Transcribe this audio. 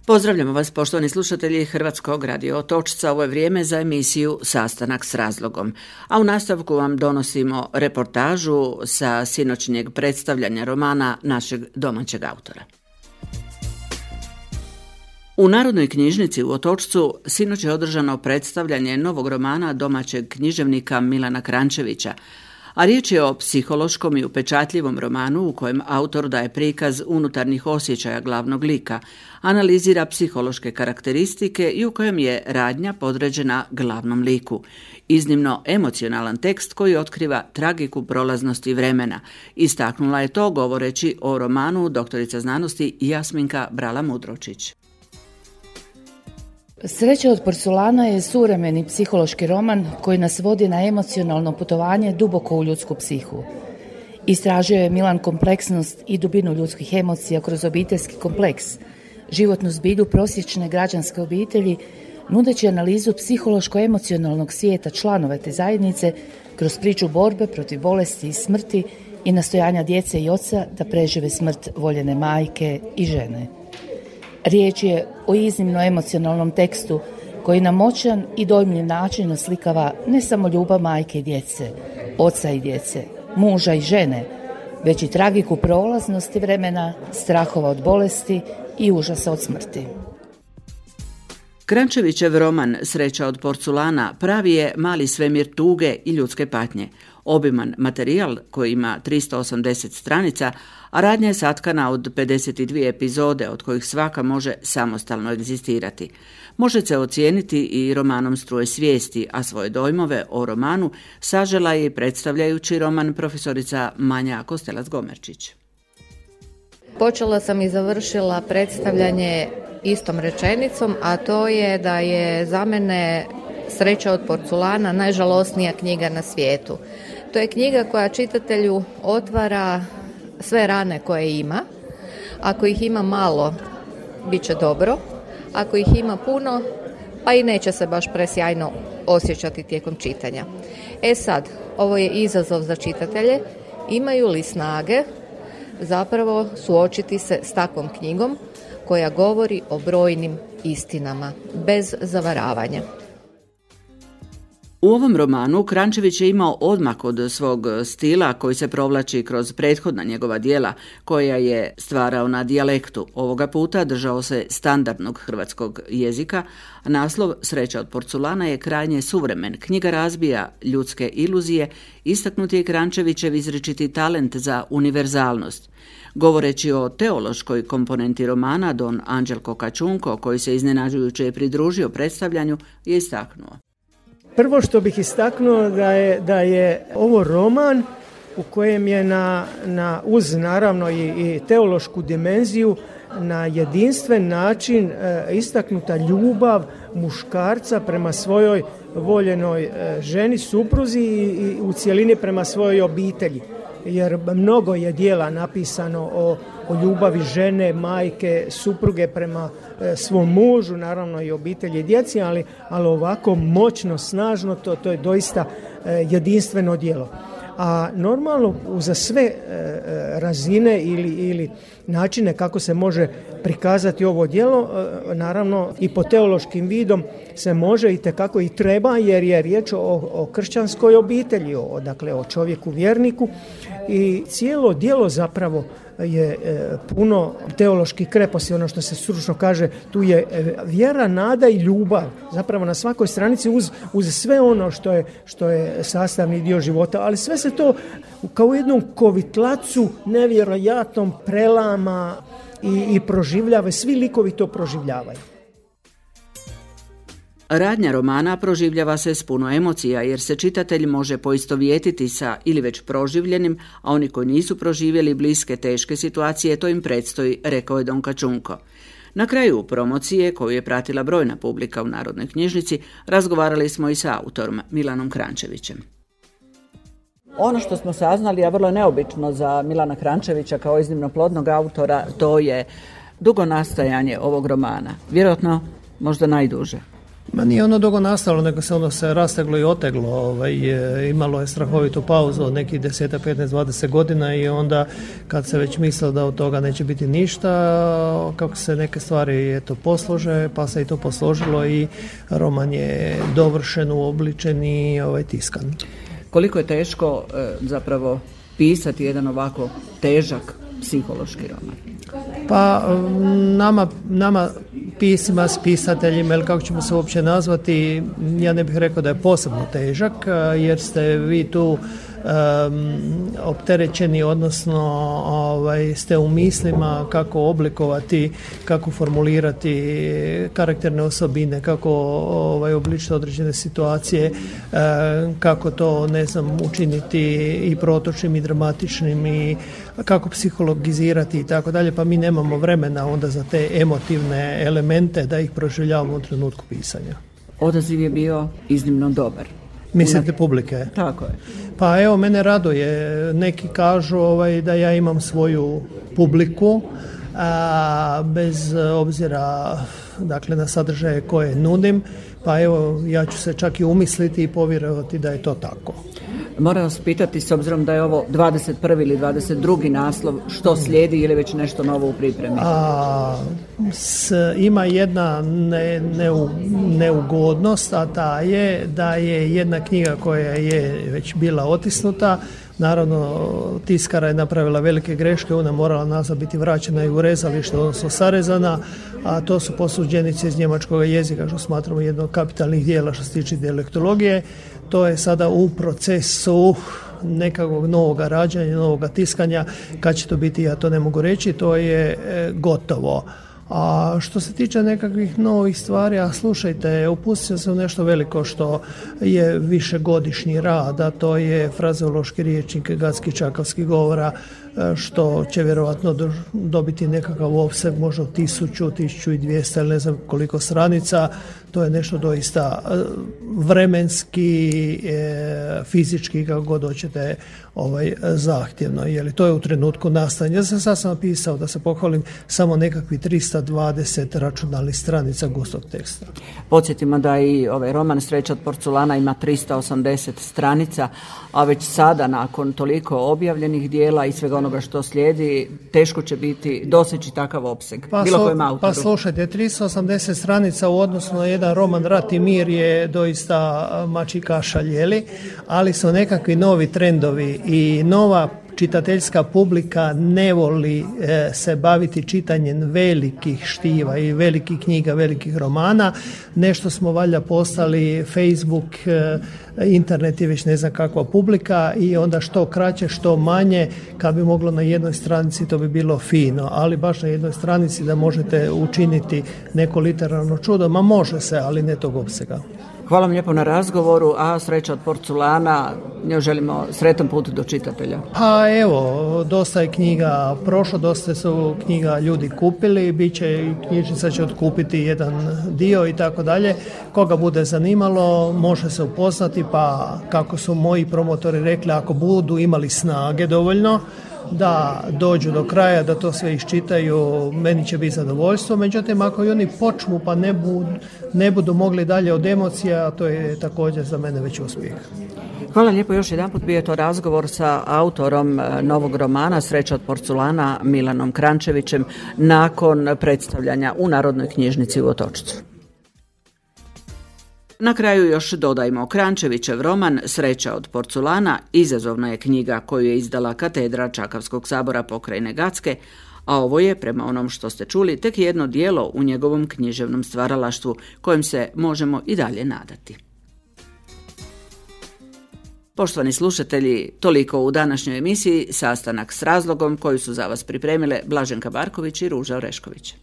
Pozdravljamo vas, poštovani slušatelji Hrvatskog radio Otočca. Ovo je vrijeme za emisiju Sastanak s razlogom. A u nastavku vam donosimo reportažu sa sinoćnjeg predstavljanja romana našeg domaćeg autora. U Narodnoj knjižnici u Otočcu sinoć je održano predstavljanje novog romana domaćeg književnika Milana Kranjčevića, a riječ je o psihološkom i upečatljivom romanu u kojem autor daje prikaz unutarnjih osjećaja glavnog lika, analizira psihološke karakteristike i u kojem je radnja podređena glavnom liku. Iznimno emocionalan tekst koji otkriva tragiku prolaznosti vremena. Istaknula je to govoreći o romanu doktorica znanosti Jasminka Brala-Mudročić. Sreća od porculana je suvremeni psihološki roman koji nas vodi na emocionalno putovanje duboko u ljudsku psihu. Istražio je Milan kompleksnost i dubinu ljudskih emocija kroz obiteljski kompleks, životnu zbilju prosječne građanske obitelji, nudeći analizu psihološko-emocionalnog svijeta članova te zajednice kroz priču borbe protiv bolesti i smrti i nastojanja djece i oca da prežive smrt voljene majke i žene. Riječ je o iznimno emocionalnom tekstu koji na moćan i dojmljiv način oslikava ne samo ljubav majke i djece, oca i djece, muža i žene, već i tragiku prolaznosti vremena, strahova od bolesti i užasa od smrti. Kranjčevićev roman Sreća od porculana pravi je mali svemir tuge i ljudske patnje. Obiman materijal koji ima 380 stranica, a radnja je satkana od 52 epizode od kojih svaka može samostalno egzistirati. Može se ocijeniti i romanom Struje svijesti, a svoje dojmove o romanu sažela je i predstavljajući roman profesorica Manja Kostelac-Gomerčić. Počela sam i završila predstavljanje istom rečenicom, a to je da je za mene Sreća od porculana najžalosnija knjiga na svijetu. To je knjiga koja čitatelju otvara sve rane koje ima. Ako ih ima malo, bit će dobro. Ako ih ima puno, pa i neće se baš presjajno osjećati tijekom čitanja. Sad, ovo je izazov za čitatelje. Imaju li snage zapravo suočiti se s takvom knjigom koja govori o brojnim istinama, bez zavaravanja. U ovom romanu Kranjčević je imao odmak od svog stila koji se provlači kroz prethodna njegova djela koja je stvarao na dijalektu. Ovoga puta držao se standardnog hrvatskog jezika, a naslov Sreća od porculana je krajnje suvremen. Knjiga razbija ljudske iluzije, istaknut je Kranjčevićev izričiti talent za univerzalnost. Govoreći o teološkoj komponenti romana, don Anđelko Kačunko, koji se iznenađujuće pridružio predstavljanju, je istaknuo. Prvo što bih istaknuo da je ovo roman u kojem je uz naravno i teološku dimenziju na jedinstven način istaknuta ljubav muškarca prema svojoj voljenoj ženi, supruzi i u cjelini prema svojoj obitelji. Jer mnogo je djela napisano o ljubavi žene, majke, supruge prema svom mužu, naravno i obitelji i djeci, ali ovako moćno, snažno, to je doista jedinstveno djelo. A normalno uza sve razine ili načine kako se može prikazati ovo djelo, naravno i po teološkim vidom se može i tekako i treba, jer je riječ o kršćanskoj obitelji, o čovjeku vjerniku, i cijelo djelo zapravo je puno teoloških kreposti, ono što se stručno kaže, tu je vjera, nada i ljubav, zapravo na svakoj stranici uz sve ono što je sastavni dio života, ali sve se to kao u jednom kovitlacu nevjerojatnom prelama i proživljava, svi likovi to proživljavaju. Radnja romana proživljava se s puno emocija jer se čitatelj može poistovjetiti sa ili već proživljenim, a oni koji nisu proživjeli bliske teške situacije, to im predstoji, rekao je don Kačunko. Na kraju promocije, koju je pratila brojna publika u Narodnoj knjižnici, razgovarali smo i sa autorom Milanom Kranjčevićem. Ono što smo saznali, a vrlo neobično za Milana Kranjčevića kao iznimno plodnog autora, to je dugo nastajanje ovog romana. Vjerojatno možda najduže. Ma nije ono dugo nastalo, nego se ono se rasteglo i oteglo, imalo je strahovitu pauzu od nekih 10, 15, 20 godina i onda kad se već mislilo da od toga neće biti ništa, kako se neke stvari poslože, pa se i to posložilo i roman je dovršen, uobličen i tiskan. Koliko je teško zapravo pisati jedan ovako težak psihološki roman? Pa nama pisima, pisateljima, ili kako ćemo se uopće nazvati, ja ne bih rekao da je posebno težak, jer ste vi tu opterećeni, odnosno ste u mislima kako oblikovati, kako formulirati karakterne osobine, kako obličiti određene situacije, kako to, učiniti i protočnim i dramatičnim i kako psihologizirati i tako dalje, pa mi nemamo vremena onda za te emotivne elemente da ih proživljavamo u trenutku pisanja. Odaziv je bio iznimno dobar. Mislite publike? Tako je. Pa evo, mene raduje. Neki kažu da ja imam svoju publiku, bez obzira na sadržaje koje nudim, pa evo, ja ću se čak i umisliti i povjerovati da je to tako. Moram vas pitati, s obzirom da je ovo 21. ili 22. naslov, što slijedi ili već nešto novo u pripremi? Ima jedna neugodnost, a ta je da je jedna knjiga koja je već bila otisnuta. Naravno, tiskara je napravila velike greške, ona morala nazad biti vraćena i u rezalište, odnosno sarezana, a to su posuđenice iz njemačkog jezika, što smatramo jedno od kapitalnih dijela što se tiče dijalektologije. To je sada u procesu nekakvog novog rađanja, novog tiskanja. Kad će to biti, ja to ne mogu reći, to je gotovo. A što se tiče nekakvih novih stvari, a slušajte, upustio se u nešto veliko što je višegodišnji rad, a to je frazeološki riječnik Gacki-Čakavskih govora, što će vjerojatno dobiti nekakav opseg, možda 1000, 1200 ili ne znam koliko stranica. To je nešto doista vremenski, fizički, kako god hoćete, zahtjevno. Jer to je u trenutku nastajanja. Ja sam sad napisao, da se pohvalim, samo nekakvi 320 računalnih stranica gustog teksta. Podsjetimo da i ovaj roman Sreća od porculana ima 380 stranica, a već sada nakon toliko objavljenih dijela i svega onoga što slijedi, teško će biti doseći takav opseg bilo kojem autoru. Pa slušajte, 380 stranica u odnosu na jedan roman Rat i mir je doista mačji kašalj, ali su nekakvi novi trendovi i nova čitateljska publika ne voli se baviti čitanjem velikih štiva i velikih knjiga, velikih romana. Nešto smo valjda postali, Facebook, internet je već ne znam kakva publika i onda što kraće, što manje, kad bi moglo na jednoj stranici to bi bilo fino, ali baš na jednoj stranici da možete učiniti neko literarno čudo, ma može se, ali ne tog opsega. Hvala vam lijepo na razgovoru, a Sreća od porculana, njoj želimo sretan put do čitatelja. Pa evo, dosta je knjiga prošlo, dosta su knjiga ljudi kupili, bit će i knjižnica će otkupiti jedan dio i tako dalje. Koga bude zanimalo, može se upoznati, pa kako su moji promotori rekli, ako budu imali snage dovoljno, da dođu do kraja, da to sve iščitaju, meni će biti zadovoljstvo. Međutim, ako i oni počnu pa ne budu mogli dalje od emocija, to je također za mene već uspjeh. Hvala lijepo, još jedanput bio je to razgovor sa autorom novog romana Sreća od porculana Milanom Krančevićem nakon predstavljanja u Narodnoj knjižnici u Otočcu. Na kraju još dodajmo, Krančevićev roman Sreća od porculana izazovna je knjiga koju je izdala katedra Čakavskog sabora pokrajine Gacke, a ovo je, prema onom što ste čuli, tek jedno djelo u njegovom književnom stvaralaštvu kojem se možemo i dalje nadati. Poštovani slušatelji, toliko u današnjoj emisiji, sastanak s razlogom koju su za vas pripremile Blaženka Barković i Ruža Orešković.